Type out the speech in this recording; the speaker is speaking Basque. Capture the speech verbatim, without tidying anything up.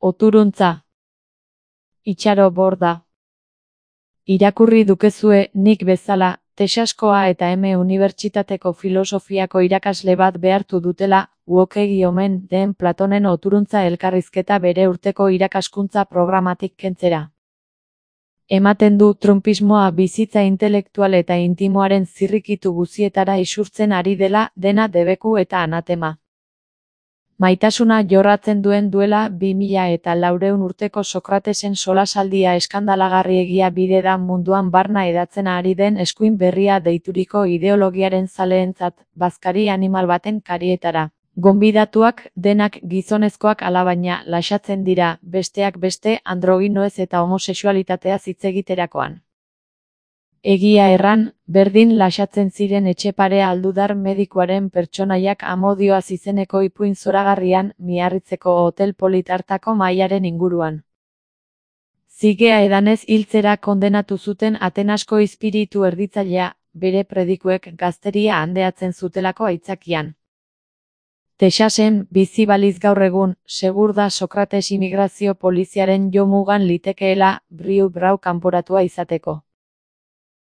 Oturuntza. Itxaro borda. Irakurri dukezue, nik bezala, Texaskoa eta M Unibertsitateko filosofiako irakasle bat behartu dutela, uokegi omen den Platonen Oturuntza elkarrizketa bere urteko irakaskuntza programatik kentzera. Ematen du trumpismoa bizitza intelektual eta intimoaren zirrikitu guzietara isurtzen ari dela, dena debeku eta anatema. Maitasuna jorratzen duen duela bi mila eta laureun urteko Sokratesen solasaldia eskandalagarriegia bide da munduan barna edatzen ari den eskuin berria deituriko ideologiaren zaleentzat, bazkari animal baten karietara. Gonbidatuak, denak gizonezkoak alabaina, lasatzen dira, besteak beste, androginoez eta homosexualitateaz hitz egiterakoan. Egia erran, berdin lasatzen ziren Etxepare aldudar medikuaren pertsonaiak Amodioaz izeneko ipuin zoragarrian, Miarritzeko hotel polit hartako mahaiaren inguruan. Zigea edanez hiltzera kondenatu zuten Atenasko izpiritu erditzailea, bere predikuek gazteria handeatzen zutelako aitzakian. Texasen, bizi baliz gaur egun, segur da Sokrates immigrazio poliziaren jomugan litekeela, Briu Brau kanporatua izateko.